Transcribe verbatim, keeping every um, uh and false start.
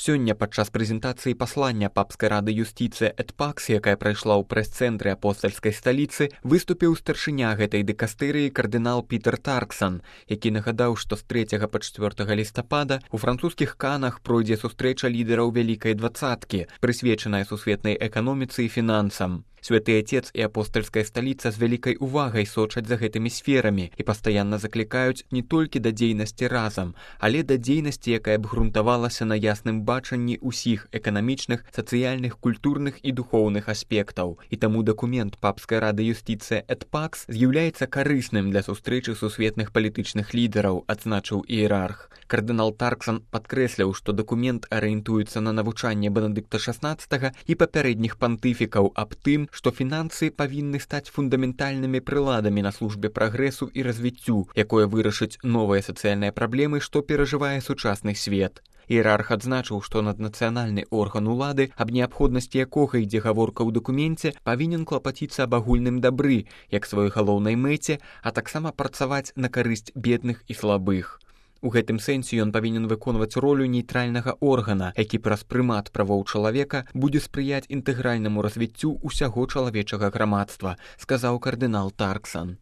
Сёння падчас прэзентацыі паслання папскай рады юстыцыі эт пакс, якая прайшла ў прэс-цэнтры апостальскай сталіцы, выступіў старшыня гэтай дэкастэрыі кардынал Пітер Тарксан, які нагадаў, што з трэцяга па чацвёртага лістапада у французскіх Канах пройдзе сустрэча лідараў вялікай дваццаткі, прысвечаная сусветнай эканоміцы і фінансам. Святы Отец і апостальская сталіца з вялікай увагай сочаць за гэтымі сферамі і пастаянна заклікаюць не толькі да дзейнасці разам, але да дзейнасці, якая б грунтавалася на ясным бачанні ўсіх эканамічных, сацыяльных, культурных і духоўных аспектаў. І таму дакумент папскай рады юстыцыі эт пакс з'яўляецца карысным для сустрэчы сусветных палітычных лідараў, адзначыў іерарх. Кардынал Тарксан падкрэсліў, што дакумент арыентуецца на навучанне Бенедыкта шаснаццатага і папярэдніх пантыфікаў аб тым, што фінансы павінны стаць фундаментальнымі прыладамі на службе прагрэсу і развіццю, якое вырашыць новыя сацыяльныя праблемы, што перажывае сучасны свет. Іерарх адзначыў, што наднацыянальны орган улады, аб неабходнасці якога ідзе гаворка ў дакуменце, павінен клапаціцца аб агульным дабры, як сваёй галоўнай мэце, а таксама працаваць на карысць бедных і слабых. У гэтым сэнсе ён павінен выконваць ролю нейтральнага органа, які праз прымат правоў чалавека будзе спрыяць інтэгральнаму развіццю ўсяго чалавечага грамадства, сказаў кардынал Тарксан.